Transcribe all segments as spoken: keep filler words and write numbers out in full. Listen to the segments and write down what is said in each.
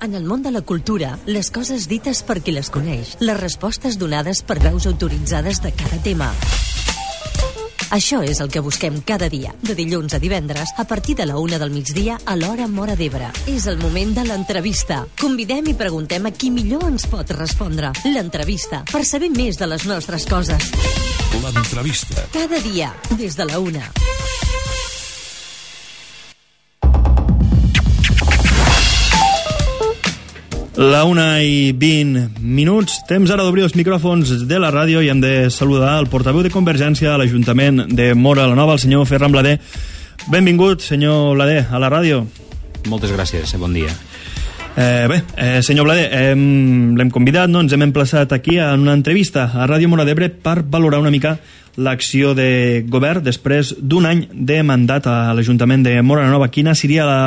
En el món de la cultura, les coses dites per qui les coneix, les respostes donades per veus autoritzades de cada tema. Això és el que busquem cada dia, de dilluns a divendres, a partir de la una del migdia a l'hora Móra d'Ebre. És el moment de l'entrevista. Convidem i preguntem a qui millor ens pot respondre. L'entrevista, per saber més de les nostres coses. L'entrevista. Cada dia, des de la una. La una i vint minuts. Temps ara d'obrir els micròfons de la ràdio i hem de saludar el portaveu de Convergència a l'Ajuntament de Móra la Nova, el senyor Ferran Blader. Benvingut, senyor Blader, a la ràdio. Moltes gràcies, bon dia. Eh, bé, eh, senyor Blader, eh, l'hem convidat, no? Ens hem emplaçat aquí en una entrevista a Ràdio Móra d'Ebre per valorar una mica l'acció de govern després d'un any de mandat a l'Ajuntament de Móra la Nova. Quina seria la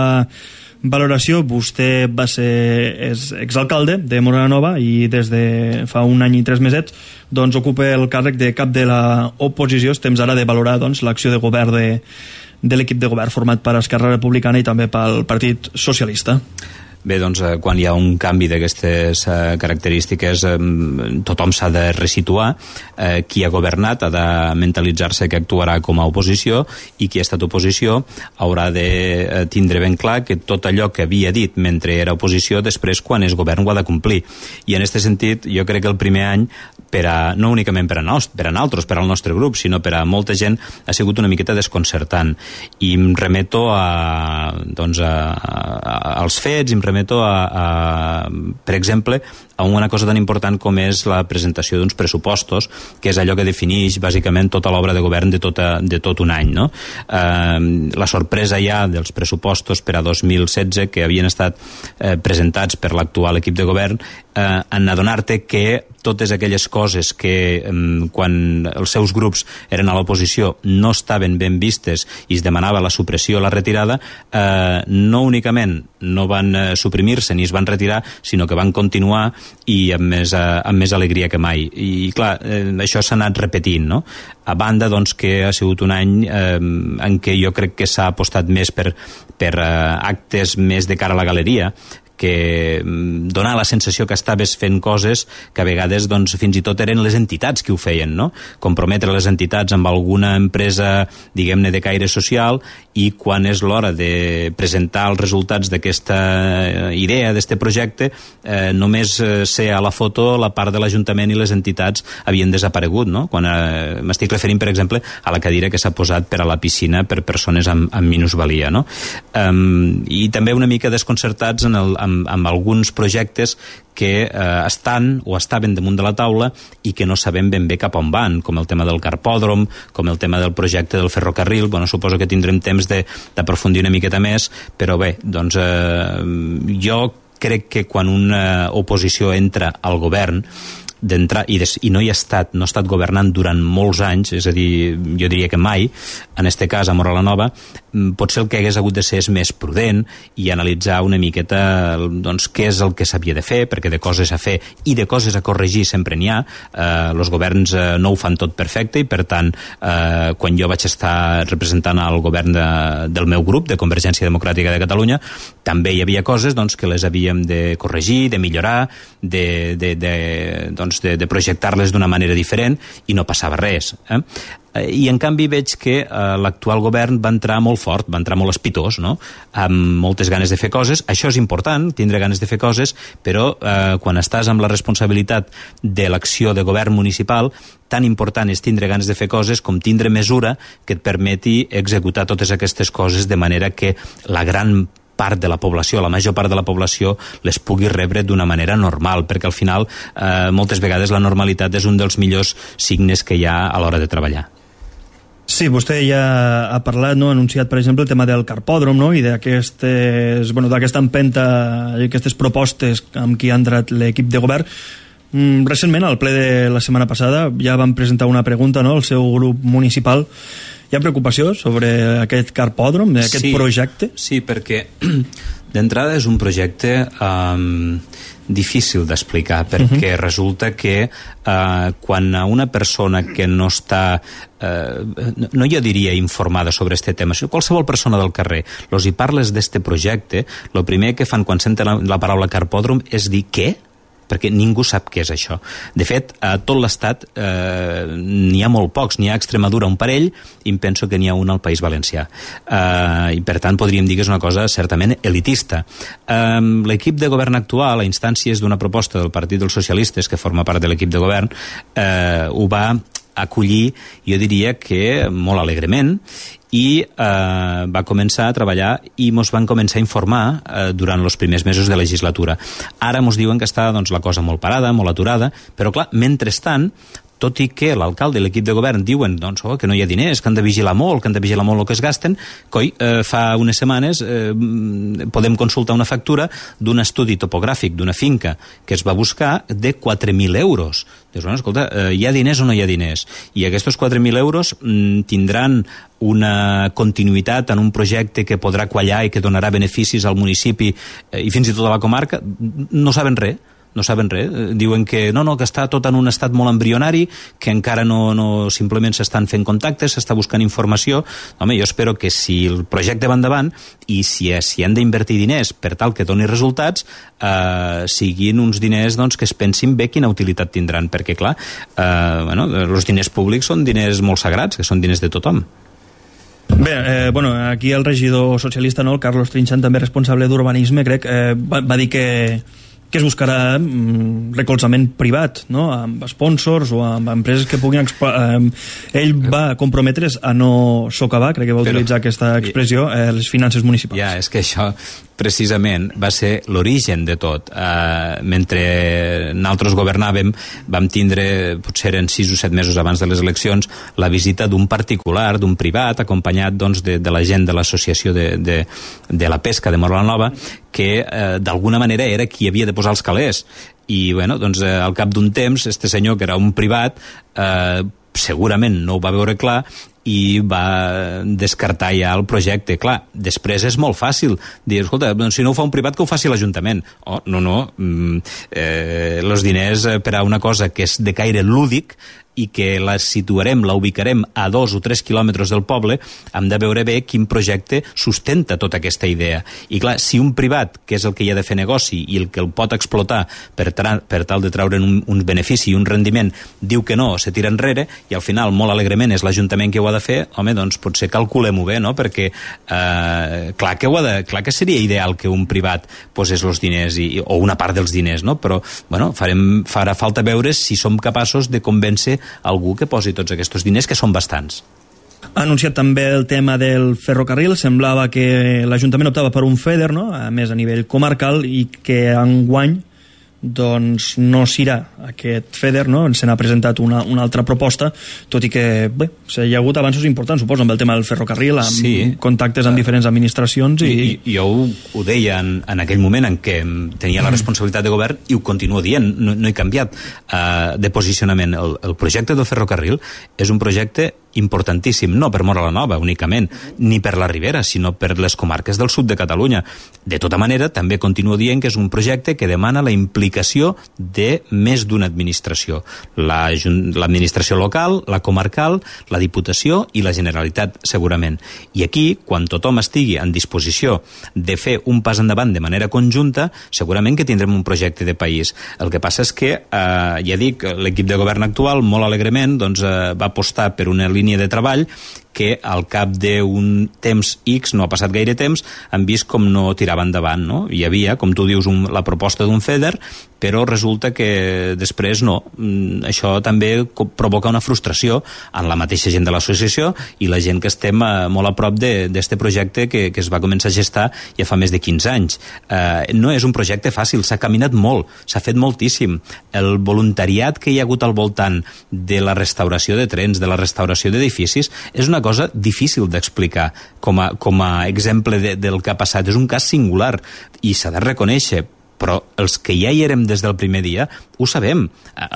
valoració? Vostè va ser és exalcalde de Móra la Nova i des de fa un any i tres mesets doncs ocupa el càrrec de cap de l'oposició. Estem ara de valorar doncs l'acció de govern de, de l'equip de govern format per Esquerra Republicana i també pel Partit Socialista. Bé, doncs, eh, quan hi ha un canvi d'aquestes eh, característiques, eh, tothom s'ha de resituar. Eh, qui ha governat ha de mentalitzar-se que actuarà com a oposició i qui ha estat oposició haurà de eh, tindre ben clar que tot allò que havia dit mentre era oposició, després, quan és govern, ho ha de complir. I en aquest sentit, jo crec que el primer any, per a, no únicament per a, nos, per a nosaltres, per al nostre grup, sinó per a molta gent, ha sigut una miqueta desconcertant. I em remeto a, doncs, a, a, als fets, i em remeto a, a, per exemple, a una cosa tan important com és la presentació d'uns pressupostos, que és allò que defineix bàsicament tota l'obra de govern de, tota, de tot un any, no? Eh, la sorpresa ja dels pressupostos per a dos mil setze que havien estat eh, presentats per l'actual equip de govern, eh, en adonar-te que totes aquelles coses que eh, quan els seus grups eren a l'oposició no estaven ben vistes i es demanava la supressió o la retirada, eh, no únicament no van eh, suprimir-se ni es van retirar, sinó que van continuar i amb més, eh, amb més alegria que mai. I clar, eh, això s'ha anat repetint, no? A banda, doncs, que ha sigut un any eh, en què jo crec que s'ha apostat més per, per eh, actes més de cara a la galeria, que dona la sensació que estaves fent coses que a vegades doncs, fins i tot eren les entitats que ho feien, no? Comprometre les entitats amb alguna empresa, diguem-ne, de caire social, i quan és l'hora de presentar els resultats d'aquesta idea, d'aquest projecte, eh, només ser a la foto la part de l'Ajuntament i les entitats havien desaparegut, no? Quan eh, m'estic referint, per exemple, a la cadira que s'ha posat per a la piscina per persones amb, amb minusvalia, no? Um, I també una mica desconcertats en el, amb, amb alguns projectes que eh, estan o estaven damunt de la taula i que no sabem ben bé cap on van, com el tema del carpòdrom, com el tema del projecte del ferrocarril. Bueno, suposo que tindrem temps d'aprofundir una miqueta més, però bé, doncs eh, jo crec que quan una oposició entra al govern d'entrar, i, des, i no hi ha estat, no ha estat governant durant molts anys, és a dir, jo diria que mai, en este cas a Móra la Nova, potser el que hagués hagut de ser és més prudent i analitzar una miqueta doncs, què és el que s'havia de fer, perquè de coses a fer i de coses a corregir sempre n'hi ha. Eh, els governs eh, no ho fan tot perfecte i, per tant, eh, quan jo vaig estar representant el govern de, del meu grup, de Convergència Democràtica de Catalunya, també hi havia coses doncs, que les havíem de corregir, de millorar, de, de, de, doncs, de, de projectar-les d'una manera diferent, i no passava res. Eh? I en canvi veig que eh, l'actual govern va entrar molt fort, va entrar molt espitós, no? Amb moltes ganes de fer coses. Això és important, tindre ganes de fer coses, però eh, quan estàs amb la responsabilitat de l'acció de govern municipal, tan important és tindre ganes de fer coses com tindre mesura que et permeti executar totes aquestes coses de manera que la gran part de la població, la major part de la població les pugui rebre d'una manera normal, perquè al final eh, moltes vegades la normalitat és un dels millors signes que hi ha a l'hora de treballar. Sí, vostè ja ha parlat, no? Ha anunciat, per exemple, el tema del carpòdrom, no? I d'aquestes, bueno, d'aquesta empenta i aquestes propostes amb qui ha entrat l'equip de govern. Mm, recentment, al ple de la setmana passada, ja van presentar una pregunta, no?, al seu grup municipal. Hi ha preocupació sobre aquest carpòdrom, aquest sí, projecte? Sí, perquè d'entrada és un projecte um, difícil d'explicar, perquè uh-huh. resulta que eh, quan a una persona que no està, eh, no jo diria informada sobre este tema, sinó qualsevol persona del carrer, los hi parles d'este projecte, el primer que fan quan senten la, la paraula carpòdrom és dir què? Perquè ningú sap què és això. De fet, a tot l'Estat eh, n'hi ha molt pocs, n'hi ha a Extremadura un parell, i em penso que n'hi ha un al País Valencià. Eh, I per tant podríem dir que és una cosa certament elitista. Eh, l'equip de govern actual, a instàncies d'una proposta del Partit dels Socialistes, que forma part de l'equip de govern, eh, ho va acollir, jo diria que molt alegrement, i eh, va començar a treballar i mos van començar a informar eh, durant els primers mesos de legislatura. Ara mos diuen que està doncs, la cosa molt parada, molt aturada, però clar, mentrestant, tot i que l'alcalde i l'equip de govern diuen doncs, oh, que no hi ha diners, que han de vigilar molt, que han de vigilar molt el que es gasten, coi, eh, fa unes setmanes eh, podem consultar una factura d'un estudi topogràfic d'una finca que es va buscar de quatre mil euros. Dius, bueno, escolta, eh, hi ha diners o no hi ha diners? I aquests quatre mil euros mm, tindran una continuïtat en un projecte que podrà quallar i que donarà beneficis al municipi eh, i fins i tot a la comarca? No saben res. No saben res, diuen que no, no, que està tot en un estat molt embrionari, que encara no, no simplement s'estan fent contactes, s'està buscant informació. Home, jo espero que si el projecte va endavant i si, si han d'invertir diners per tal que doni resultats, eh, siguin uns diners doncs, que es pensin bé quina utilitat tindran, perquè clar, eh, bueno, els diners públics són diners molt sagrats, que són diners de tothom. Bé, eh, bueno, aquí el regidor socialista, no, el Carlos Trinxant, també responsable d'urbanisme, crec, eh, va, va dir que que es buscarà mm, recolzament privat, no? Amb sponsors o amb empreses que puguin... Eh, ell va comprometre's a no socavar, crec que va Però, utilitzar aquesta expressió, eh, les finances municipals. Ja, és que això precisament va ser l'origen de tot. Eh, mentre nosaltres governàvem, vam tindre, potser en sis o set mesos abans de les eleccions, la visita d'un particular, d'un privat, acompanyat doncs, de, de la gent de l'associació de, de, de la pesca de Móra la Nova, que eh, d'alguna manera era qui havia de posar els calés. I bueno, doncs, eh, al cap d'un temps, este senyor, que era un privat, eh, segurament no ho va veure clar i va descartar ja el projecte. Clar, després és molt fàcil dir, escolta, doncs si no ho fa un privat, que ho faci l'Ajuntament. Oh, no, no, mm, eh, els diners per a una cosa que és de caire lúdic i que la situarem, la ubicarem a dos o tres quilòmetres del poble, hem de veure bé quin projecte sustenta tota aquesta idea. I clar, si un privat, que és el que hi ha de fer negoci i el que el pot explotar per, per tal de treure'n un, un benefici i un rendiment, diu que no, se tira enrere, i al final, molt alegrement, és l'Ajuntament que ho ha de fer, home, doncs potser calculem-ho bé, no? Perquè eh, clar, que ho ha de, clar que seria ideal que un privat posés els diners, i, o una part dels diners, no? Però, bueno, farem, farà falta veure si som capaços de convèncer algú que posi tots aquests diners, que són bastants. Ha anunciat també el tema del ferrocarril. Semblava que l'Ajuntament optava per un FEDER, no? A més a nivell comarcal, i que enguany doncs no serà aquest FEDER, no? Se n'ha presentat una, una altra proposta, tot i que bé, hi ha hagut avanços importants, suposo, amb el tema del ferrocarril, amb sí. contactes amb diferents administracions. I, I jo ho, ho deia en, en aquell moment en què tenia la responsabilitat de govern, i ho continuo dient, no, no he canviat uh, de posicionament. El, el projecte del ferrocarril és un projecte importantíssim, no per Móra la Nova únicament, ni per la Ribera, sinó per les comarques del sud de Catalunya. De tota manera, també continuo dient que és un projecte que demana la implicació de més d'una administració. La, l'administració local, la comarcal, la Diputació i la Generalitat, segurament. I aquí, quan tothom estigui en disposició de fer un pas endavant de manera conjunta, segurament que tindrem un projecte de país. El que passa és que, eh, ja dic, l'equip de govern actual, molt alegrement, doncs, eh, va apostar per una línia de treball que al cap d'un temps X, no ha passat gaire temps, han vist com no tirava endavant, no? Hi havia, com tu dius, un, la proposta d'un FEDER, però resulta que després no. Això també provoca una frustració en la mateixa gent de l'associació i la gent que estem eh, molt a prop d'aquest projecte que, que es va començar a gestar ja fa més de quinze anys. Eh, no és un projecte fàcil, s'ha caminat molt, s'ha fet moltíssim. El voluntariat que hi ha hagut al voltant de la restauració de trens, de la restauració d'edificis, és una cosa difícil d'explicar com a, com a exemple de, del que ha passat. És un cas singular i s'ha de reconèixer, però els que ja hi érem des del primer dia ho sabem.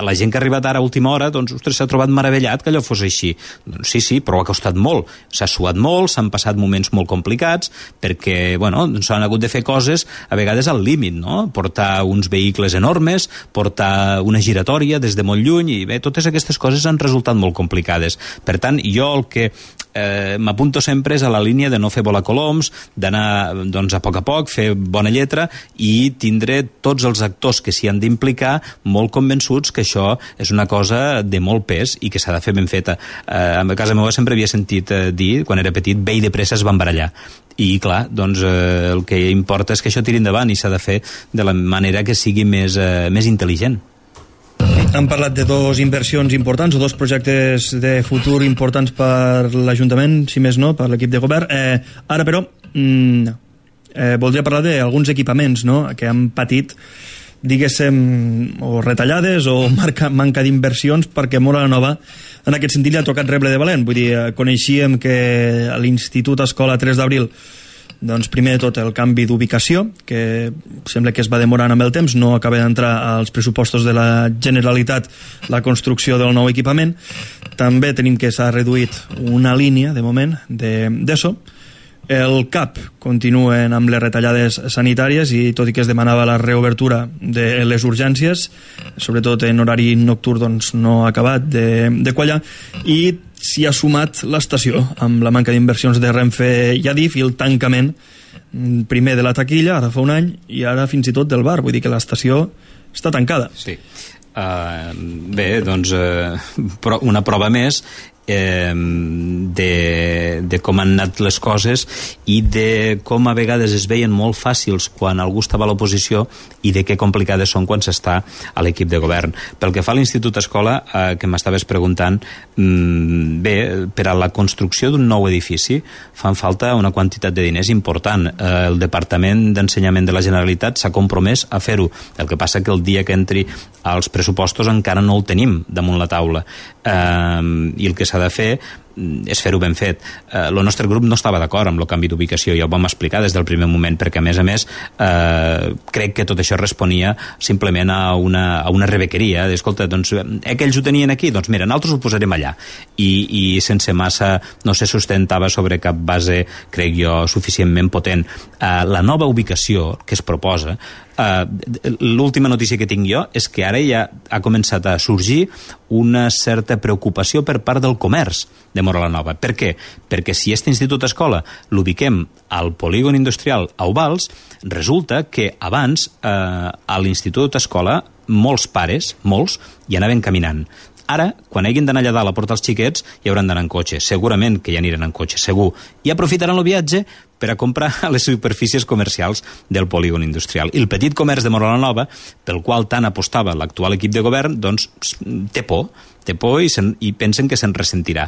La gent que ha arribat ara a última hora, doncs, ostres, s'ha trobat meravellat que allò fos així. Doncs sí, sí, però ha costat molt. S'ha suat molt, s'han passat moments molt complicats, perquè, bueno, s'han hagut de fer coses a vegades al límit, no? Portar uns vehicles enormes, portar una giratòria des de molt lluny, i bé, totes aquestes coses han resultat molt complicades. Per tant, jo el que eh, m'apunto sempre és a la línia de no fer volar coloms, d'anar doncs, a poc a poc, fer bona lletra i tindre tots els actors que s'hi han d'implicar molt convençuts que això és una cosa de molt pes i que s'ha de fer ben feta. Eh, a casa meva sempre havia sentit eh, dir, quan era petit, bé i de pressa es van barallar. I clar, doncs eh, el que importa és que això tiri endavant i s'ha de fer de la manera que sigui més, eh, més intel·ligent. Hem parlat de dos inversions importants o dos projectes de futur importants per l'Ajuntament, si més no, per l'equip de govern. Eh, ara, però, mm, eh, voldria parlar d'alguns equipaments, no?, que han patit, diguéssim, o retallades o marca, manca d'inversions, perquè Móra la Nova, en aquest sentit, li ha tocat rebre de valent. Vull dir, coneixíem que a l'Institut Escola tres d'abril, doncs primer de tot el canvi d'ubicació, que sembla que es va demorant amb el temps, no acaba d'entrar als pressupostos de la Generalitat la construcció del nou equipament. També tenim que s'ha reduït una línia, de moment, d'ESO. El C A P continuen amb les retallades sanitàries i tot i que es demanava la reobertura de les urgències, sobretot en horari nocturn, doncs no ha acabat de, de quallar, i s'hi ha sumat l'estació amb la manca d'inversions de Renfe i Adif i el tancament primer de la taquilla, ara fa un any, i ara fins i tot del bar, vull dir que l'estació està tancada. Sí. Uh, bé, doncs uh, una prova més eh, de, de com han anat les coses i de com a vegades es veien molt fàcils quan algú estava a l'oposició i de què complicades són quan s'està a l'equip de govern. Pel que fa a l'Institut Escola, eh, que m'estaves preguntant, mm, bé, per a la construcció d'un nou edifici fan falta una quantitat de diners important. Eh, el Departament d'Ensenyament de la Generalitat s'ha compromès a fer-ho. El que passa que el dia que entri als pressupostos encara no el tenim damunt la taula. Eh, i el que s'ha de fer és fer-ho ben fet. Eh, el nostre grup no estava d'acord amb el canvi d'ubicació, ja ho vam explicar des del primer moment, perquè a més a més eh, crec que tot això responia simplement a una, a una rebequeria, d'escolta, doncs eh, que ells ho tenien aquí, doncs mira, nosaltres ho posarem allà, i, i sense massa, no se sustentava sobre cap base, crec jo, suficientment potent. Eh, la nova ubicació que es proposa, Uh, l'última notícia que tinc jo és que ara ja ha començat a sorgir una certa preocupació per part del comerç de Móra la Nova. Per què? Perquè si aquest institut escola l'ubiquem al polígon industrial a Ovals, resulta que abans eh, a l'institut escola molts pares, molts, hi anaven caminant. Ara, quan hagin d'anar allà dalt a portar els xiquets, hi hauran d'anar en cotxe. Segurament que hi aniran en cotxe, segur. I aprofitaran el viatge per a comprar a les superfícies comercials del polígon industrial. I el petit comerç de Móra la Nova, pel qual tant apostava l'actual equip de govern, doncs té por, té por i, i pensen que se'n ressentirà.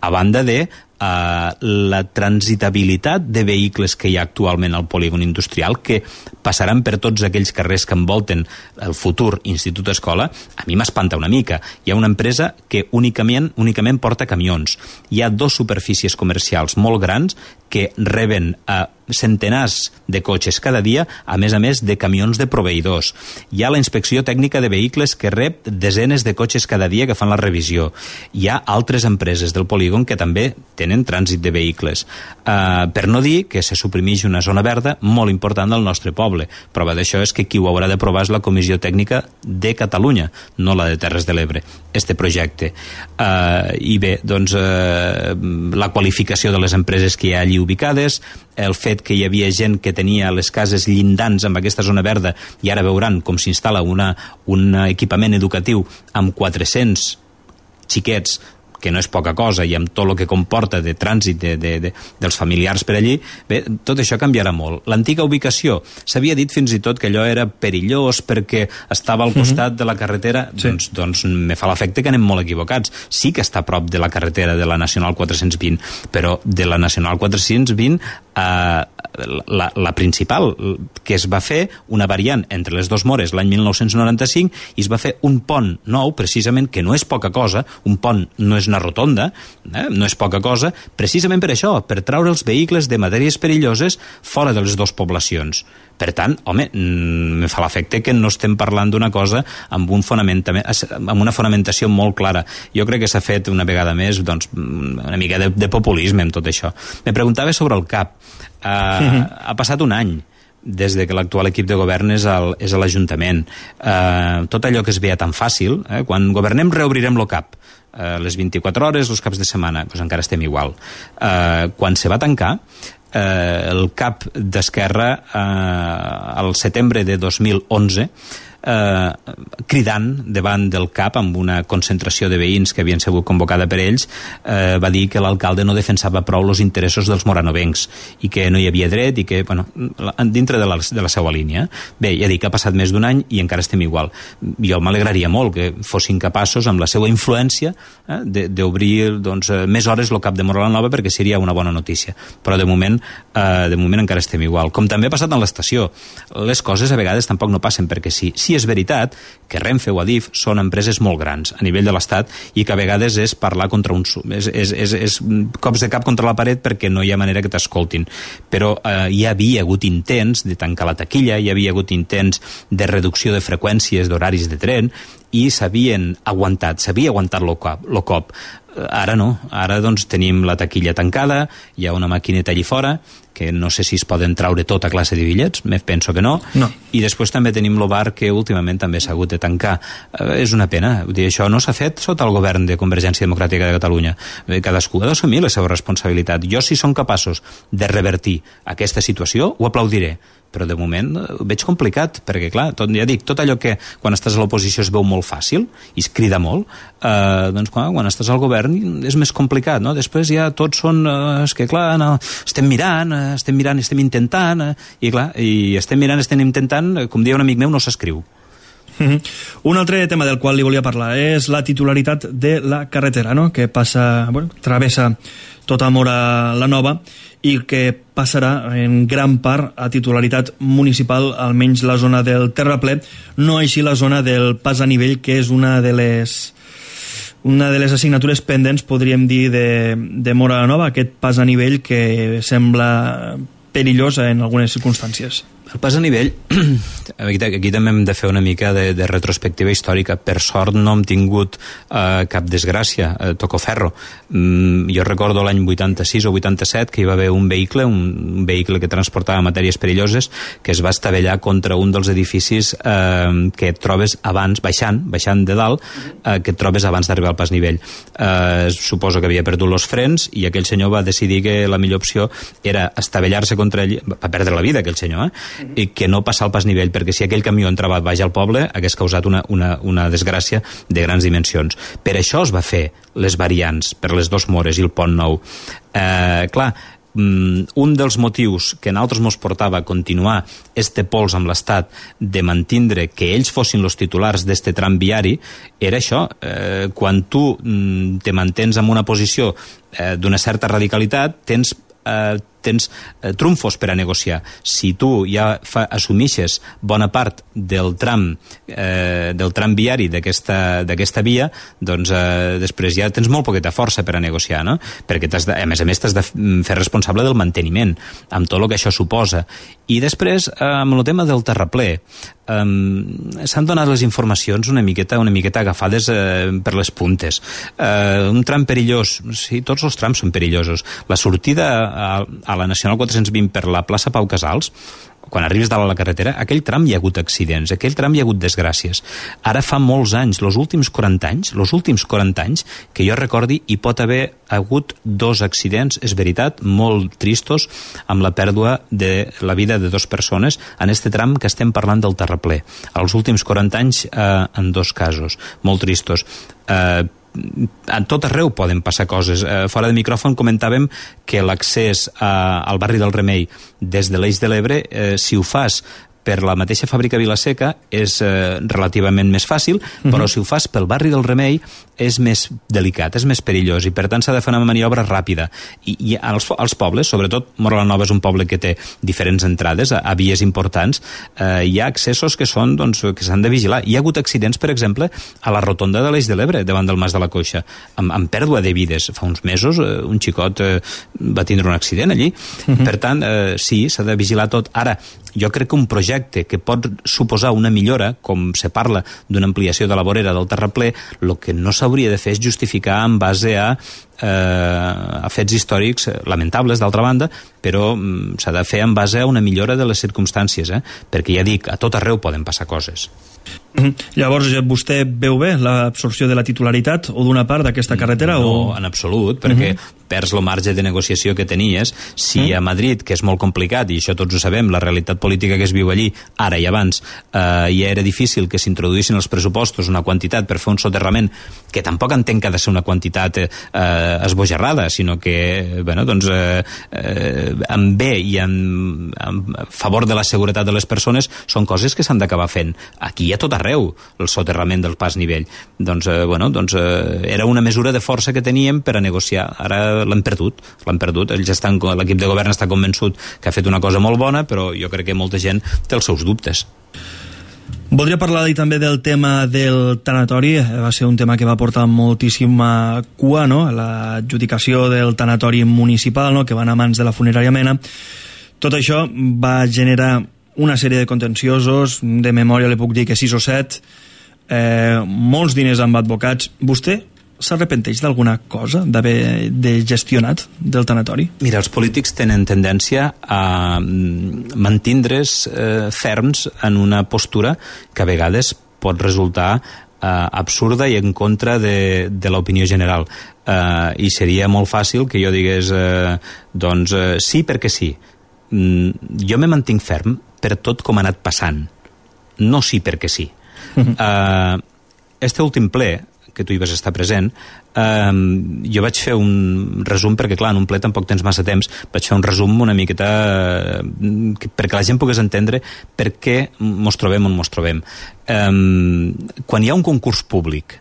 A banda de uh, la transitabilitat de vehicles que hi ha actualment al polígon industrial, que passaran per tots aquells carrers que envolten el futur institut escola, a mi m'espanta una mica. Hi ha una empresa que únicament, únicament porta camions. Hi ha dos superfícies comercials molt grans que reben a centenars de cotxes cada dia, a més a més de camions de proveïdors. Hi ha la inspecció tècnica de vehicles que rep desenes de cotxes cada dia que fan la revisió. Hi ha altres empreses del polígon que també tenen trànsit de vehicles. Uh, per no dir que se suprimeix una zona verda molt important del nostre poble. Prova d'això és que qui ho haurà d'aprovar és la Comissió Tècnica de Catalunya, no la de Terres de l'Ebre, este projecte. Uh, I bé, doncs, uh, la qualificació de les empreses que hi ha allí ubicades, el fet que hi havia gent que tenia les cases llindants amb aquesta zona verda i ara veuran com s'instal·la una, un equipament educatiu amb quatre-cents xiquets, que no és poca cosa, i amb tot el que comporta de trànsit de, de, de, dels familiars per allí, bé, tot això canviarà molt. L'antiga ubicació, s'havia dit fins i tot que allò era perillós perquè estava al costat mm-hmm. de la carretera, sí. doncs, doncs me fa l'efecte que anem molt equivocats. Sí que està a prop de la carretera de la Nacional quatre-cents vint, però de la Nacional quatre-cents vint eh, la, la principal, que es va fer una variant entre les dos Mores l'any mil nou-cents noranta-cinc, i es va fer un pont nou, precisament, que no és poca cosa, un pont no és una rotonda, eh? no és poca cosa, precisament per això, per treure els vehicles de matèries perilloses fora de les dues poblacions. Per tant, home, me fa l'efecte que no estem parlant d'una cosa amb, un amb una fonamentació molt clara. Jo crec que s'ha fet una vegada més doncs, una mica de, de populisme amb tot això. Me preguntava sobre el C A P. Uh, mm-hmm. Ha passat un any des de que l'actual equip de govern és, el, és a l'Ajuntament. Uh, tot allò que es veia tan fàcil, eh? Quan governem reobrirem el C A P. Uh, les vint-i-quatre hores, els caps de setmana, doncs encara estem igual. Uh, quan se va tancar, eh, el cap d'Esquerra eh, al setembre de dos mil onze eh, cridant davant del cap amb una concentració de veïns que havien sigut convocada per ells, eh, va dir que l'alcalde no defensava prou els interessos dels moranovencs i que no hi havia dret i que, bueno, dintre de la, de la seva línia. Bé, ja dic, ha passat més d'un any i encara estem igual. Jo m'alegraria molt que fossin capaços, amb la seva influència, eh, d'obrir doncs, més hores el cap de Móra la Nova, perquè seria una bona notícia. Però de moment, eh, de moment encara estem igual. Com també ha passat en l'estació. Les coses a vegades tampoc no passen perquè sí. Sí és veritat que Renfe o Adif són empreses molt grans a nivell de l'Estat i que a vegades és parlar contra un... És, és, és, és cops de cap contra la paret perquè no hi ha manera que t'escoltin. Però eh, hi havia hagut intents de tancar la taquilla, hi havia hagut intents de reducció de freqüències d'horaris de tren i s'havien aguantat, s'havia aguantat lo cop, lo cop. Ara no, ara doncs tenim la taquilla tancada, hi ha una maquineta allí fora, que no sé si es poden traure tota classe de bitllets, me penso que no, no. I després també tenim el bar que últimament també s'ha hagut de tancar. Eh, és una pena, vull dir, això no s'ha fet sota el govern de Convergència Democràtica de Catalunya. Eh, cadascú ha d'assumir la seva responsabilitat. Jo, si són capaços de revertir aquesta situació, ho aplaudiré. Però de moment ho veig complicat, perquè clar, tot, ja dic, tot allò que quan estàs a l'oposició es veu molt fàcil i es crida molt, eh, doncs quan, quan estàs al govern és més complicat, no? Després ja tots són, eh, és que clar, no, estem mirant, eh, estem mirant, estem intentant, eh, i clar, i estem mirant, estem intentant, eh, com deia un amic meu, no s'escriu. Mm-hmm. Un altre tema del qual li volia parlar és la titularitat de la carretera, no? Que passa, bueno, travessa tota Móra la Nova i que passarà en gran part a titularitat municipal, almenys la zona del terraplè, no així la zona del pas a nivell, que és una de les una de les assignatures pendents, podríem dir, de, de Móra la Nova, aquest pas a nivell que sembla perillós en algunes circumstàncies. El pas a nivell, aquí, aquí també hem de fer una mica de, de retrospectiva històrica. Per sort no hem tingut eh, cap desgràcia, eh, toco ferro. Mm, jo recordo l'any vuitanta-sis o vuitanta-set que hi va haver un vehicle, un, un vehicle que transportava matèries perilloses, que es va estavellar contra un dels edificis eh, que et trobes abans, baixant, baixant de dalt, eh, que et trobes abans d'arribar al pas nivell. Eh, suposo que havia perdut els frens i aquell senyor va decidir que la millor opció era estavellar-se contra ell, va perdre la vida aquell senyor, eh? I que no passar al pas nivell, perquè si aquell camió entrava baix al poble hagués causat una, una, una desgràcia de grans dimensions. Per això es va fer les variants per les dos Mores i el Pont Nou. Eh, clar, un dels motius que a nosaltres mos portava a continuar este pols amb l'Estat de mantindre que ells fossin els titulars d'este tram viari era això, eh, quan tu te mantens en una posició eh, d'una certa radicalitat, tens eh, tens eh, trumfos per a negociar. Si tu ja fa, assumixes bona part del tram eh, del tram viari d'aquesta via, doncs eh, després ja tens molt poqueta força per a negociar, no? Perquè t'has de, a més a més t'has de fer responsable del manteniment, amb tot el que això suposa. I després, eh, amb el tema del terraplè, eh, s'han donat les informacions una miqueta, una miqueta agafades eh, per les puntes. Eh, un tram perillós, sí, tots els trams són perillosos. La sortida a, a a la Nacional quatre-cents vint per la plaça Pau Casals, quan arribes dalt a la carretera, aquell tram hi ha hagut accidents, aquell tram hi ha hagut desgràcies. Ara fa molts anys, els últims quaranta anys, els últims quaranta anys, que jo recordi, hi pot haver hagut dos accidents, és veritat, molt tristos, amb la pèrdua de la vida de dues persones en este tram que estem parlant del terraplè. Els últims quaranta anys, eh, en dos casos, molt tristos. Eh, a tot arreu poden passar coses. Eh, fora de micròfon comentàvem que l'accés a, al barri del Remei des de l'Eix de l'Ebre, eh, si ho fas per la mateixa fàbrica Vilaseca és eh, relativament més fàcil, uh-huh. però si ho fas pel barri del Remei és més delicat, és més perillós, i per tant s'ha de fer una maniobra ràpida. I, i als, als pobles, sobretot Móra la Nova és un poble que té diferents entrades a, a vies importants, eh, hi ha accessos que són, doncs, que s'han de vigilar. Hi ha hagut accidents, per exemple, a la rotonda de l'Eix de l'Ebre, davant del Mas de la Coixa, amb, amb pèrdua de vides. Fa uns mesos eh, un xicot eh, va tindre un accident allí. Uh-huh. Per tant, eh, sí, s'ha de vigilar tot. Ara, jo crec que un projecte que pot suposar una millora, com se parla d'una ampliació de la vorera del terraplè, el que no s'hauria de fer és justificar en base a, eh, a fets històrics lamentables, d'altra banda, però mm, s'ha de fer en base a una millora de les circumstàncies, eh? Perquè ja dic, a tot arreu poden passar coses. Mm-hmm. Llavors, vostè veu bé l'absorció de la titularitat o d'una part d'aquesta carretera? No, o... en absolut, perquè mm-hmm. perds el marge de negociació que tenies. Si mm-hmm. a Madrid, que és molt complicat, i això tots ho sabem, la realitat política que es viu allí, ara i abans, eh, ja era difícil que s'introduïssin els pressupostos una quantitat per fer un soterrament, que tampoc entenc que ha de ser una quantitat eh, esbojarrada, sinó que, bueno, doncs, eh, eh, en bé i en, en favor de la seguretat de les persones, són coses que s'han d'acabar fent. Aquí hi ha tot arreu el soterrament del pas nivell. Doncs, eh, bueno, doncs eh, era una mesura de força que teníem per a negociar. Ara l'hem perdut, l'hem perdut. Ells estan, l'equip de govern està convençut que ha fet una cosa molt bona, però jo crec que molta gent té els seus dubtes. Voldria parlar també del tema del tanatori. Va ser un tema que va portar moltíssima cua, no? L'adjudicació del tanatori municipal, no? Que va anar a mans de la funerària Mena. Tot això va generar una sèrie de contenciosos, de memòria li puc dir que sis o set, eh, molts diners amb advocats. Vostè s'arrepenteix d'alguna cosa d'haver de gestionat del tanatori? Mira, els polítics tenen tendència a mantindre's eh, ferms en una postura que a vegades pot resultar eh, absurda i en contra de, de l'opinió general. Eh, I seria molt fàcil que jo digués eh, doncs eh, sí perquè sí. Mm, jo me mantinc ferm per tot com ha anat passant. No sí perquè sí. Uh-huh. Eh, este últim ple que tu hi vas estar present, eh, jo vaig fer un resum, perquè clar, en un ple tampoc tens massa temps, vaig fer un resum una miqueta eh, perquè la gent pogués entendre per què mos trobem on mos trobem. Eh, quan hi ha un concurs públic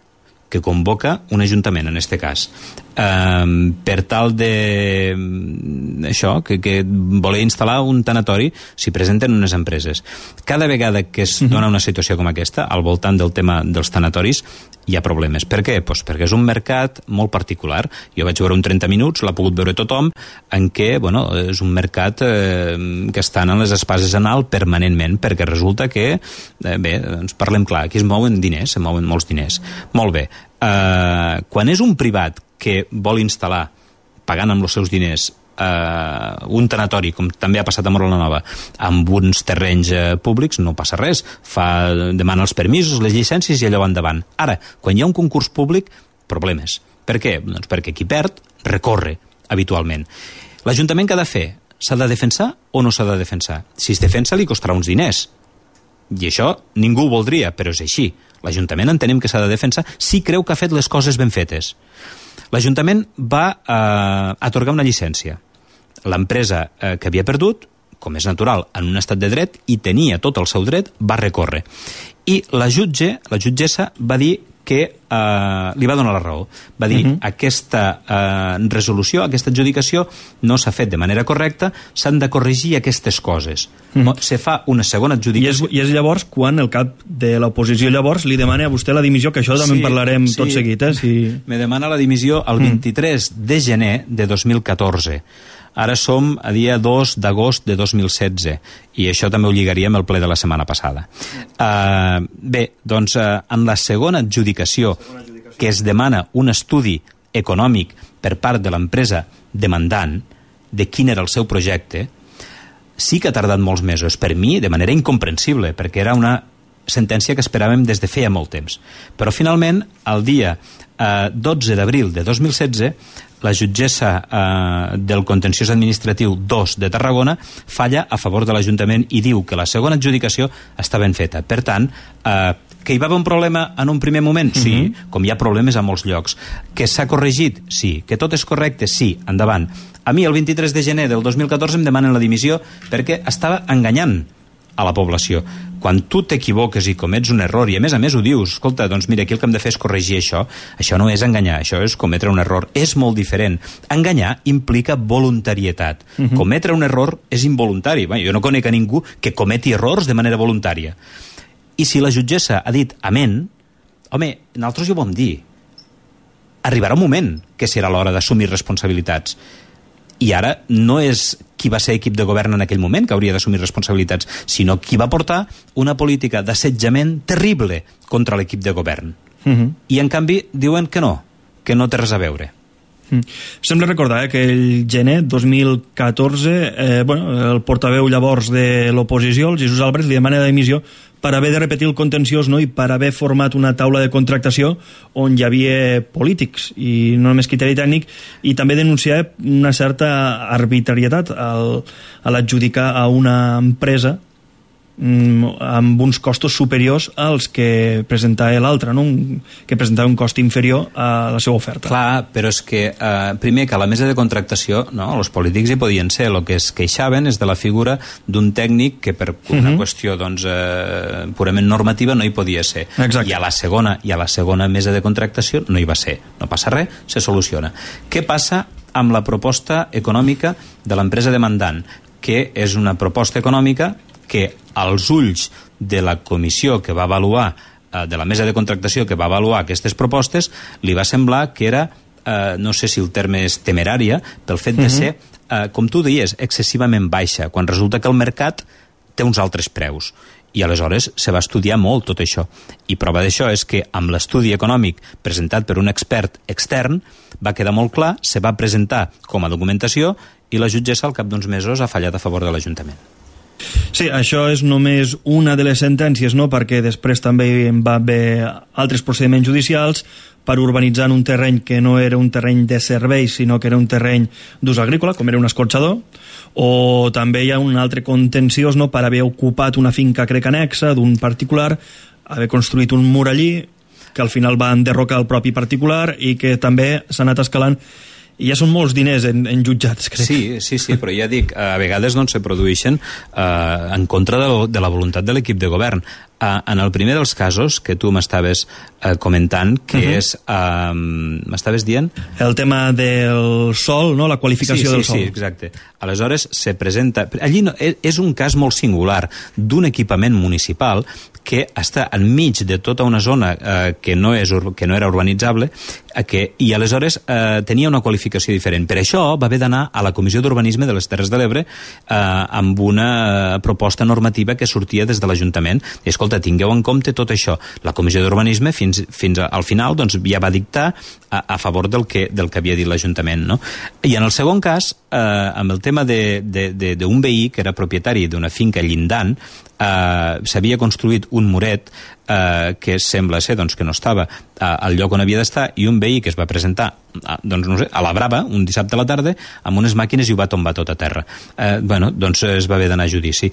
que convoca un ajuntament, en este cas, eh, per tal de això, que, que voler instal·lar un tanatori, s'hi presenten unes empreses. Cada vegada que es dona una situació com aquesta, al voltant del tema dels tanatoris, hi ha problemes. Per què? Pues perquè és un mercat molt particular. Jo vaig veure un trenta minuts, l'ha pogut veure tothom, en què, bueno, és un mercat eh, que estan en les espases en alt permanentment, perquè resulta que, eh, bé, ens parlem clar, aquí es mouen diners, se mouen molts diners. Molt bé. Eh, quan és un privat que vol instal·lar, pagant amb els seus diners, Uh, un tanatori, com també ha passat a Móra la Nova, amb uns terrenys uh, públics, no passa res, fa, demana els permisos, les llicències i allò va endavant. Ara, quan hi ha un concurs públic, problemes. Per què? Doncs perquè qui perd recorre habitualment. L'Ajuntament què ha de fer? S'ha de defensar o no s'ha de defensar? Si es defensa li costarà uns diners. I això ningú ho voldria, però és així. L'Ajuntament entenem que s'ha de defensar si creu que ha fet les coses ben fetes. L'Ajuntament va eh, atorgar una llicència. L'empresa eh, que havia perdut, com és natural, en un estat de dret, i tenia tot el seu dret, va recórrer. I la jutge, la jutgessa, va dir que eh, li va donar la raó. Va dir, uh-huh. aquesta eh, resolució, aquesta adjudicació, no s'ha fet de manera correcta, s'han de corregir aquestes coses. Uh-huh. Se fa una segona adjudicació... I és, I és llavors quan el cap de l'oposició llavors li demana a vostè la dimissió, que això també sí, en parlarem sí. tot seguit. Eh? Si... Me demana la dimissió el vint-i-tres uh-huh. de gener de dos mil catorze. Ara som a dia dos d'agost de dos mil setze i això també ho lligaríem al ple de la setmana passada. Uh, bé, doncs uh, en la segona adjudicació que es demana un estudi econòmic per part de l'empresa demandant de quin era el seu projecte, sí que ha tardat molts mesos, per mi de manera incomprensible, perquè era una sentència que esperàvem des de feia molt temps. Però finalment, el dia eh, dotze d'abril de dos mil setze, la jutgessa eh, del contenciós administratiu dos de Tarragona falla a favor de l'Ajuntament i diu que la segona adjudicació està ben feta. Per tant, eh, que hi va haver un problema en un primer moment? Sí, uh-huh. com hi ha problemes a molts llocs. Que s'ha corregit? Sí. Que tot és correcte? Sí. Endavant. A mi el vint-i-tres de gener del dos mil catorze em demanen la dimissió perquè estava enganyant a la població. Quan tu t'equivoques i comets un error, i a més a més ho dius, escolta, doncs mira, aquí el que hem de fer és corregir això, això no és enganyar, això és cometre un error. És molt diferent. Enganyar implica voluntarietat. Uh-huh. Cometre un error és involuntari. Bé, jo no conec a ningú que cometi errors de manera voluntària. I si la jutgessa ha dit amén, home, nosaltres ja ho vam dir. Arribarà un moment que serà l'hora d'assumir responsabilitats. I ara no és qui va ser equip de govern en aquell moment que hauria d'assumir responsabilitats, sinó qui va portar una política d'assetjament terrible contra l'equip de govern. Uh-huh. I, en canvi, diuen que no, que no té res a veure. Mm. Sembla recordar eh, que el gener dos mil catorze eh, bueno, el portaveu llavors de l'oposició, el Jesús Álvarez, li demana d'emissió per haver de repetir el contenciós, no? I per haver format una taula de contractació on hi havia polítics i no només criteri tècnic, i també denunciar una certa arbitrarietat al, a l'adjudicar a una empresa amb uns costos superiors als que presentava l'altre, no? Que presentava un cost inferior a la seva oferta. Clar, però és que eh, primer que a la mesa de contractació, no, els polítics hi podien ser, el que es queixaven és de la figura d'un tècnic que per una uh-huh. qüestió doncs, eh, purament normativa no hi podia ser. Exacte. I a la segona i a la segona mesa de contractació no hi va ser. No passa res, se soluciona. Què passa amb la proposta econòmica de l'empresa demandant? Que és una proposta econòmica que als ulls de la comissió que va avaluar, eh, de la mesa de contractació que va avaluar aquestes propostes, li va semblar que era, eh, no sé si el terme és temerària, pel fet de ser, eh, com tu deies, excessivament baixa, quan resulta que el mercat té uns altres preus. I aleshores se va estudiar molt tot això. I prova d'això és que amb l'estudi econòmic presentat per un expert extern va quedar molt clar, se va presentar com a documentació i la jutgessa al cap d'uns mesos ha fallat a favor de l'Ajuntament. Sí, això és només una de les sentències, no? Perquè després també va haver altres procediments judicials per urbanitzar en un terreny que no era un terreny de serveis, sinó que era un terreny d'ús agrícola, com era un escorxador, o també hi ha un altre contenciós, no? Per haver ocupat una finca, crec, anexa d'un particular, haver construït un mur allí, que al final va enderrocar el propi particular i que també s'ha anat escalant. I ja són molts diners en, en jutjats, crec. Sí, sí, sí, però ja dic, a vegades doncs, se produeixen eh, en contra de, lo, de la voluntat de l'equip de govern. Uh, en el primer dels casos que tu m'estaves uh, comentant, que uh-huh. és... Uh, m'estaves dient? El tema del sol, no? La qualificació sí, sí, del sol. Sí, exacte. Aleshores, se presenta... Allí no, és un cas molt singular d'un equipament municipal que està enmig de tota una zona uh, que, no és, que no era urbanitzable uh, que, i aleshores uh, tenia una qualificació diferent. Per això va haver d'anar a la Comissió d'Urbanisme de les Terres de l'Ebre uh, amb una uh, proposta normativa que sortia des de l'Ajuntament. I, escolta, tingueu en compte tot això. La Comissió d'Urbanisme fins, fins al final doncs, ja va dictar a, a favor del que, del que havia dit l'Ajuntament, no? I en el segon cas, eh, amb el tema d'un veí que era propietari d'una finca llindant, eh, s'havia construït un muret eh, que sembla ser doncs, que no estava eh, al lloc on havia d'estar, i un veí que es va presentar a, doncs, no sé, a la Brava un dissabte a la tarda amb unes màquines i ho va tombar tot a terra. Eh, bueno, doncs es va haver d'anar a judici.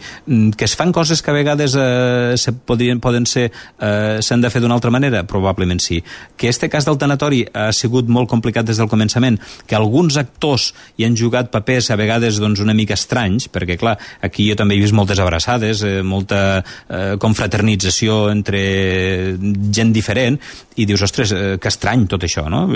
Que es fan coses que a vegades eh, se podrien, poden ser eh, s'han de fer d'una altra manera? Probablement sí. Que este cas del tanatori ha sigut molt complicat des del començament, que alguns actors hi han jugat papers a vegades doncs, una mica estranys, perquè clar, aquí jo també he vist moltes abraçades, eh, molta eh, confraternització entre gent diferent, i dius, ostres, eh, que estrany tot això, no?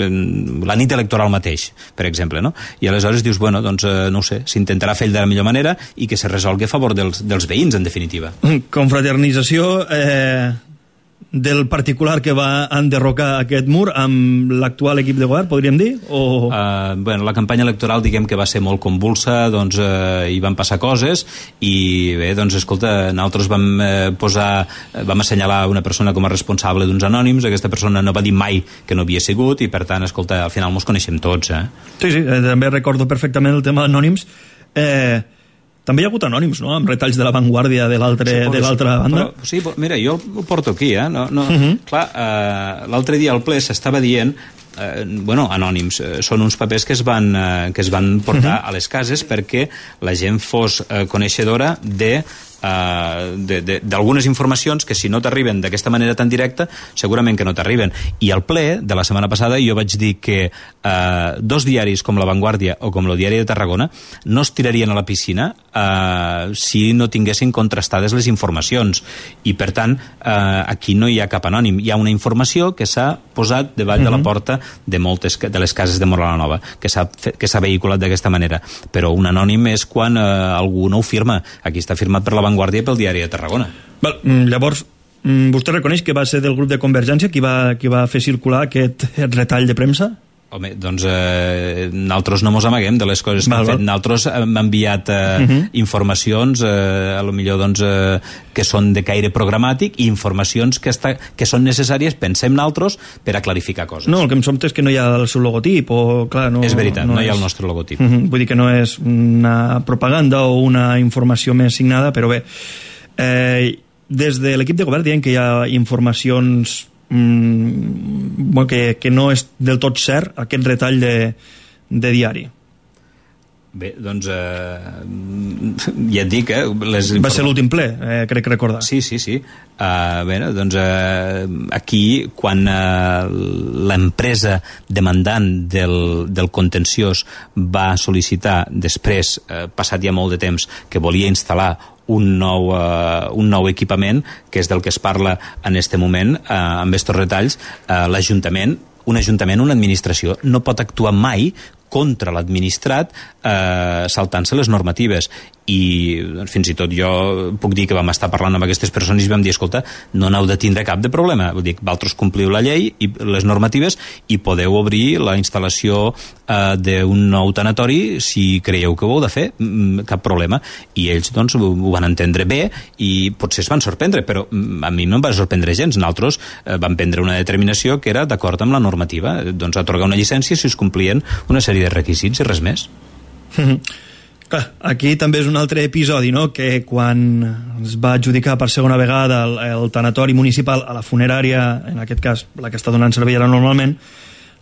La nit electoral mateix, per exemple, no? I aleshores dius, bueno, doncs, eh, no ho sé, s'intentarà fer de la millor manera i que se resolgui a favor dels, dels veïns, en definitiva. Confraternització eh, del particular que va enderrocar aquest mur amb l'actual equip de govern, podríem dir? O... Uh, bueno, la campanya electoral diguem que va ser molt convulsa, doncs uh, hi van passar coses i bé, doncs escolta, nosaltres vam uh, posar, vam assenyalar una persona com a responsable d'uns anònims, aquesta persona no va dir mai que no havia sigut i per tant, escolta, al final mos coneixem tots, eh? Sí, sí, eh, també recordo perfectament el tema d'anònims. Eh... També hi ha hagut anònims, no?, amb retalls de l'avantguàrdia de l'altra banda. Però, sí, mira, jo ho porto aquí, eh? No, no, uh-huh. Clar, eh, l'altre dia al ple s'estava dient eh, bueno, anònims, eh, són uns papers que es van, eh, que es van portar uh-huh. a les cases perquè la gent fos eh, coneixedora de Uh, d'algunes informacions que si no t'arriben d'aquesta manera tan directa segurament que no t'arriben. I al ple de la setmana passada jo vaig dir que uh, dos diaris com La Vanguardia o com el Diari de Tarragona no es tirarien a la piscina uh, si no tinguessin contrastades les informacions, i per tant uh, aquí no hi ha cap anònim, hi ha una informació que s'ha posat davall mm-hmm. de la porta de moltes de les cases de Móra la Nova, que s'ha que s'ha vehiculat d'aquesta manera, però un anònim és quan uh, algú no ho firma. Aquí està firmat per La Vanguardia i pel Diari de Tarragona. Val, llavors, vostè reconeix que va ser del grup de Convergència qui va, qui va fer circular aquest retall de premsa? Home, doncs eh, nosaltres no mos amaguem de les coses que val, hem fet. Nosaltres hem enviat eh, uh-huh. informacions, eh, a lo millor doncs, eh, que són de caire programàtic, i informacions que, està, que són necessàries, pensem nosaltres, per a clarificar coses. No, el que em sobta és que no hi ha el seu logotip, o clar, no... És veritat, no, no hi ha és... el nostre logotip. Uh-huh. Vull dir que no és una propaganda o una informació més signada, però bé, eh, des de l'equip de govern diem que hi ha informacions Bueno, que, que no és del tot cert aquest retall de, de diari. Bé, doncs eh, ja et dic eh, les va ser l'últim ple, eh, crec recordar. Sí, sí, sí. Uh, bé, doncs eh, aquí quan eh, l'empresa demandant del, del contenciós va sol·licitar després, eh, passat ja molt de temps, que volia instal·lar un nou, uh, un nou equipament, que és del que es parla en este moment, uh, amb estos retalls, uh, l'Ajuntament, un ajuntament, una administració, no pot actuar mai contra l'administrat eh, saltant-se les normatives. I doncs, fins i tot jo puc dir que vam estar parlant amb aquestes persones i vam dir, escolta, no n'heu de tindre cap de problema, vull dir, vosaltres compliu la llei i les normatives i podeu obrir la instal·lació eh, d'un nou tanatori si creieu que ho heu de fer, cap problema. I ells doncs ho, ho van entendre bé i potser es van sorprendre, però a mi no em va sorprendre gens. Nosaltres eh, vam prendre una determinació que era d'acord amb la normativa, doncs atorgar una llicència si es complien una sèrie de requisits i res més. Clar, aquí també és un altre episodi, no?, que quan es va adjudicar per segona vegada el, el tanatori municipal a la funerària, en aquest cas la que està donant servei ara normalment,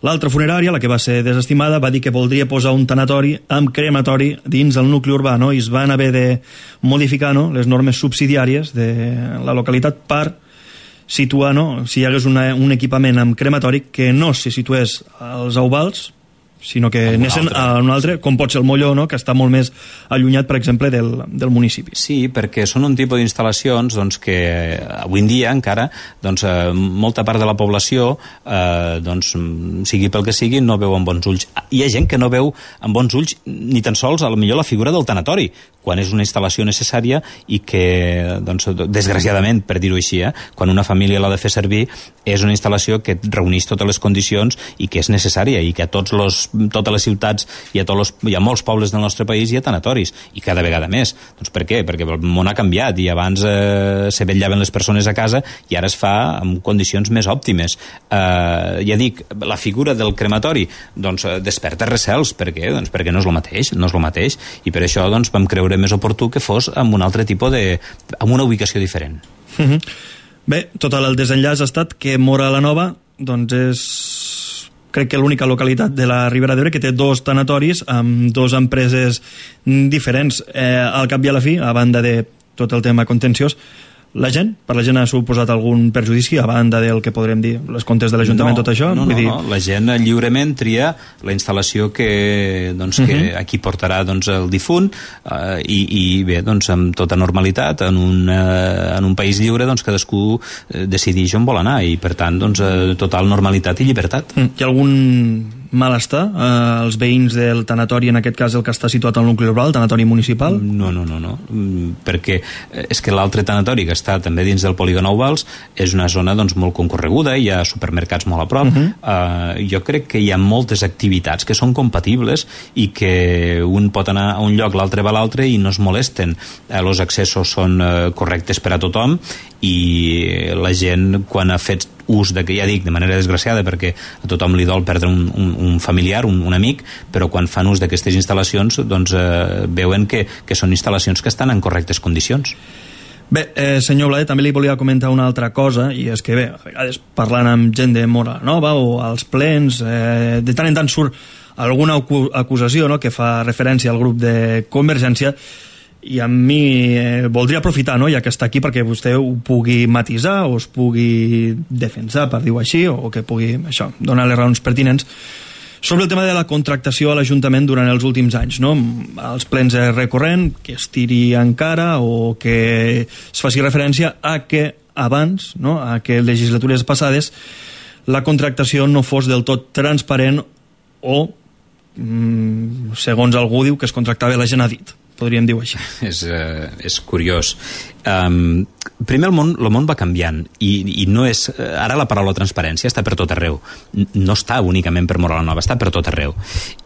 l'altra funerària, la que va ser desestimada, va dir que voldria posar un tanatori amb crematori dins el nucli urbà, no?, i es van haver de modificar, no?, les normes subsidiàries de la localitat per situar, no?, si hi hagués una, un equipament amb crematori que no se situés als Euvals, sinó que anessin a un altre, com pot ser el Molló, no?, que està molt més allunyat, per exemple, del, del municipi. Sí, perquè són un tipus d'instal·lacions doncs, que avui en dia encara doncs, eh, molta part de la població eh, doncs, sigui pel que sigui, no veu amb bons ulls. Hi ha gent que no veu amb bons ulls ni tan sols, a lo millor, la figura del tanatori, quan és una instal·lació necessària i que, doncs, desgraciadament, per dir-ho així, eh, quan una família l'ha de fer servir, és una instal·lació que reuneix totes les condicions i que és necessària, i que a tots los, totes les ciutats i a, tots los, i a molts pobles del nostre país hi ha tanatoris, i cada vegada més. Doncs per què? Perquè el món ha canviat i abans eh, se vetllaven les persones a casa i ara es fa en condicions més òptimes. Eh, ja dic, la figura del crematori doncs, desperta recels. Per què? Doncs perquè no és el mateix, no és el mateix, i per això doncs, vam creure més oportú que fos amb un altre tipus de... amb una ubicació diferent. Mm-hmm. Bé, total, el desenllaç ha estat que Móra la Nova doncs és, crec que l'única localitat de la Ribera d'Ebre que té dos tanatoris amb dos empreses diferents. Eh, al cap i a la fi, a banda de tot el tema contenciós, la gent, per la gent ha suposat algun perjudici a banda del que podrem dir les comptes de l'Ajuntament, no, tot això? No, Vull no, dir... no, la gent lliurement tria la instal·lació que, doncs, uh-huh. que aquí portarà doncs, el difunt eh, i, i bé, doncs, amb tota normalitat en un, eh, en un país lliure doncs, cadascú eh, decideix on vol anar i per tant doncs, eh, total normalitat i llibertat. Hi ha algun malestar eh, els veïns del tanatori, en aquest cas el que està situat al nucli urbà, el tanatori municipal? No, no, no, no. Perquè és que l'altre tanatori que està també dins del polígon Euvals és una zona doncs, molt concorreguda, hi ha supermercats molt a prop. Uh-huh. uh, jo crec que hi ha moltes activitats que són compatibles i que un pot anar a un lloc, l'altre va a l'altre i no es molesten. Uh, els accessos són uh, correctes per a tothom i la gent, quan ha fet ús de, que ja dic, de manera desgraciada, perquè a tothom li dol perdre un, un, un familiar, un, un amic, però quan fan ús d'aquestes instal·lacions doncs eh, veuen que, que són instal·lacions que estan en correctes condicions. Bé, eh, senyor Bladet, també li volia comentar una altra cosa, i és que bé, a vegades parlant amb gent de Mora Nova o als plens, eh, de tant en tant surt alguna acusació, no?, que fa referència al grup de Convergència, i a mi eh, voldria aprofitar, no?, ja que està aquí, perquè vostè ho pugui matisar o es pugui defensar, per dir-ho així, o que pugui, això, donar les raons pertinents sobre el tema de la contractació a l'Ajuntament durant els últims anys, no? Els plens recurrent, que es tiri encara o que es faci referència a que abans, no?, a que legislatures passades la contractació no fos del tot transparent o, mm, segons algú diu, que es contractava la gent a dit. Podríem dir-ho així. És, uh, és curiós. Um, primer, el món, el món va canviant i, i no és... Ara la paraula transparència està per tot arreu. No està únicament per Mora la Nova, està per tot arreu.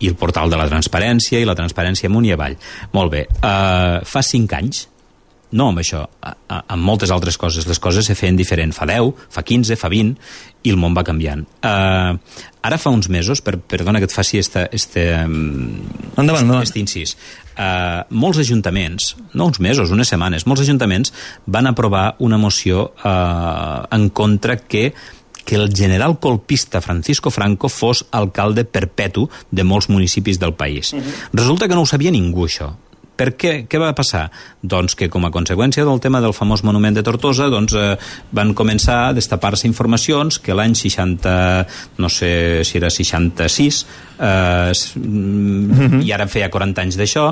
I el portal de la transparència i la transparència amunt i avall. Molt bé. Uh, fa cinc anys, no amb això, a, a, amb moltes altres coses. Les coses se feien diferent. Fa deu, fa quinze, fa vint, i el món va canviant. Uh, ara fa uns mesos, per, perdona que et faci este, este, endavant, endavant. este incís, Uh, molts ajuntaments, no uns mesos, unes setmanes, molts ajuntaments van aprovar una moció uh, en contra que que el general colpista Francisco Franco fos alcalde perpetu de molts municipis del país. Uh-huh. Resulta que no ho sabia ningú, això. Per què? Què va passar? Doncs que com a conseqüència del tema del famós monument de Tortosa, doncs eh, van començar a destapar-se informacions que l'any seixanta, no sé si era seixanta-sis, eh, mm-hmm. i ara feia quaranta anys d'això,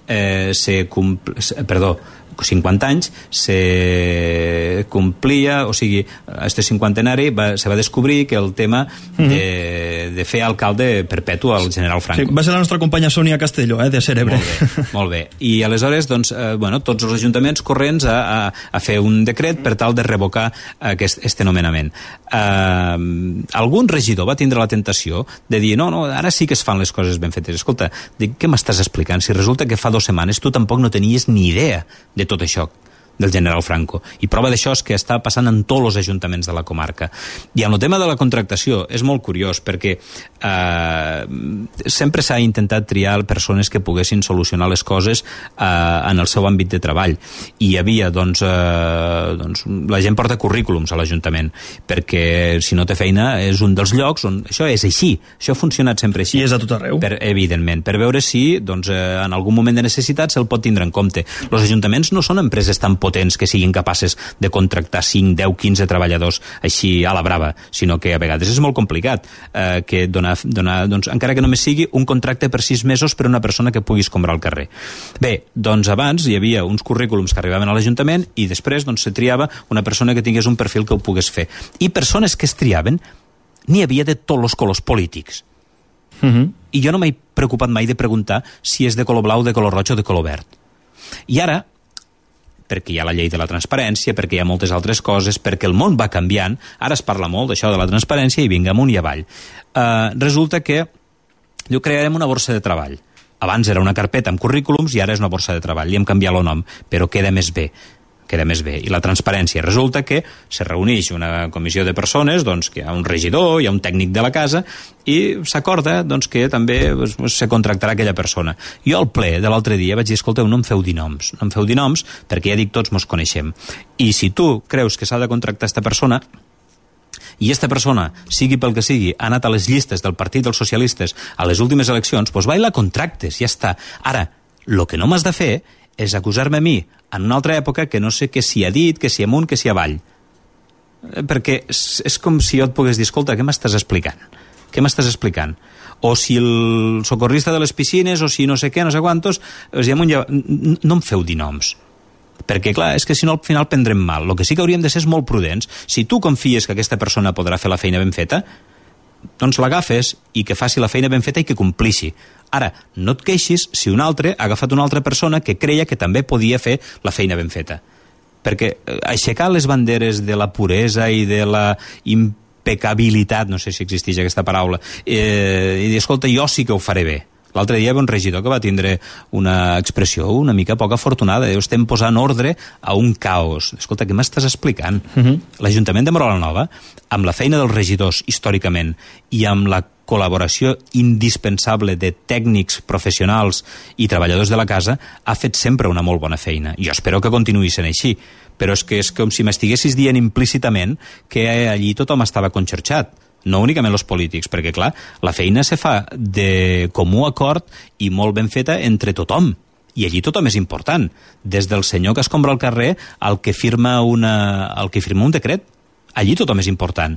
eh, se compl... perdó, cinquanta anys, se complia, o sigui, este cinquantenari va, se va descobrir que el tema mm-hmm. de, de fer alcalde perpetu al general Franco. Sí, va ser la nostra companya Sònia Castelló, eh, de Cerebre. Molt bé, molt bé. I aleshores, doncs, eh, bueno, tots els ajuntaments corrents a, a, a fer un decret per tal de revocar aquest este nomenament. Eh, algun regidor va tindre la tentació de dir, no, no, ara sí que es fan les coses ben fetes. Escolta, dic, què m'estàs explicant? Si resulta que fa dues setmanes tu tampoc no tenies ni idea de tot això del general Franco. I prova d'això és que està passant en tots els ajuntaments de la comarca. I en el tema de la contractació és molt curiós perquè eh, sempre s'ha intentat triar persones que poguessin solucionar les coses eh, en el seu àmbit de treball. I hi havia, doncs, eh, doncs, la gent porta currículums a l'Ajuntament perquè si no té feina és un dels llocs on això és així. Això ha funcionat sempre així. I és a tot arreu. Per, evidentment, per veure si doncs, eh, en algun moment de necessitat se'l pot tindre en compte. Els ajuntaments no són empreses tan potents que siguin capaces de contractar cinc, deu, quinze treballadors així a la brava, sinó que a vegades és molt complicat eh, que donar, donar doncs, encara que només sigui un contracte per sis mesos per una persona que puguis comprar al carrer. Bé, doncs abans hi havia uns currículums que arribaven a l'Ajuntament i després doncs, se triava una persona que tingués un perfil que ho pogués fer. I persones que es triaven n'hi havia de tots els colors polítics. Uh-huh. I jo no m'he preocupat mai de preguntar si és de color blau, de color roig o de color verd. I ara, perquè hi ha la llei de la transparència, perquè hi ha moltes altres coses, perquè el món va canviant, ara es parla molt d'això de la transparència i vinga amunt i avall. Uh, resulta que diu, crearem una borsa de treball. Abans era una carpeta amb currículums i ara és una borsa de treball. Li hem canviat el nom, però queda més bé. queda més bé. I la transparència. Resulta que se reuneix una comissió de persones, doncs, que hi ha un regidor, hi ha un tècnic de la casa, i s'acorda doncs, que també doncs, se contractarà aquella persona. Jo al ple de l'altre dia vaig dir, escolteu, no em feu dir noms, no em feu dir noms, perquè ja dic, tots mos coneixem. I si tu creus que s'ha de contractar aquesta persona, i aquesta persona, sigui pel que sigui, ha anat a les llistes del Partit dels Socialistes a les últimes eleccions, doncs va i la contractes, ja està. Ara, el que no m'has de fer és acusar-me a mi en una altra època que no sé què s'hi ha dit, que s'hi amunt, que s'hi avall. Perquè és, és com si jo et pogués dir, escolta, què m'estàs explicant? Què m'estàs explicant? O si el socorrista de les piscines, o si no sé què, no sé quantos, no em feu dir noms. Perquè, clar, és que si no al final prendrem mal. El que sí que hauríem de ser és molt prudents. Si tu confies que aquesta persona podrà fer la feina ben feta, doncs l'agafes i que faci la feina ben feta i que complixi. Ara, no et queixis si un altre ha agafat una altra persona que creia que també podia fer la feina ben feta. Perquè aixecar les banderes de la puresa i de la impecabilitat, no sé si existeix aquesta paraula, eh, i dir, escolta, jo sí que ho faré bé. L'altre dia hi havia un regidor que va tindre una expressió una mica poc afortunada. Diu, estem posant ordre a un caos. Escolta, què m'estàs explicant? Uh-huh. L'Ajuntament de Mora la Nova, amb la feina dels regidors històricament i amb la col·laboració indispensable de tècnics, professionals i treballadors de la casa, ha fet sempre una molt bona feina. Jo espero que continuï sent així, però és que és com si m'estiguessis dient implícitament que allí tothom estava conxorxat, no únicament els polítics, perquè clar, la feina se fa de comú acord i molt ben feta entre tothom, i allí tothom és important, des del senyor que escombra al carrer al que firma, una, al que firma un decret. Allí tothom és important.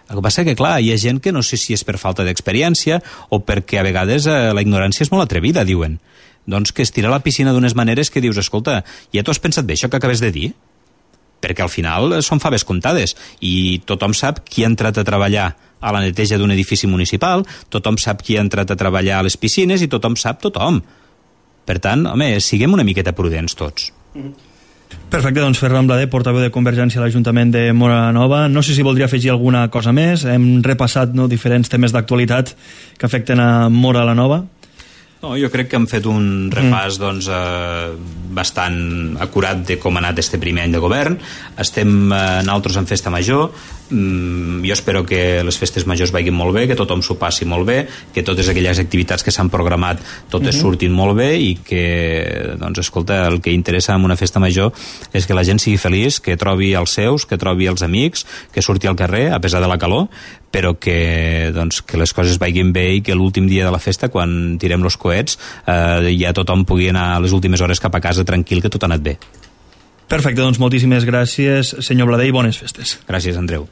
El que passa que, clar, hi ha gent que no sé si és per falta d'experiència o perquè a vegades eh, la ignorància és molt atrevida, diuen. Doncs que es tira a la piscina d'unes maneres que dius, escolta, ja t'ho has pensat bé, això que acabes de dir? Perquè al final són faves comptades i tothom sap qui ha entrat a treballar a la neteja d'un edifici municipal, tothom sap qui ha entrat a treballar a les piscines i tothom sap tothom. Per tant, home, siguem una miqueta prudents tots. Perfecte, doncs Ferran Blader, portaveu de Convergència a l'Ajuntament de Móra Nova. No sé si voldria afegir alguna cosa més. Hem repassat no, diferents temes d'actualitat que afecten a Móra la Nova. No, jo crec que hem fet un repàs mm. doncs, eh, bastant acurat de com ha anat este primer any de govern. Estem eh, nosaltres en festa major. Mm, jo espero que les festes majors vagin molt bé, que tothom s'ho passi molt bé, que totes aquelles activitats que s'han programat totes mm-hmm. surtin molt bé i que, doncs, escolta, el que interessa en una festa major és que la gent sigui feliç, que trobi els seus, que trobi els amics, que surti al carrer, a pesar de la calor, però que, doncs, que les coses vagin bé i que l'últim dia de la festa, quan tirem els coets, eh, ja tothom pugui anar a les últimes hores cap a casa tranquil, que tot ha anat bé. Perfecte, doncs moltíssimes gràcies, senyor Blader, i bones festes. Gràcies, Andreu.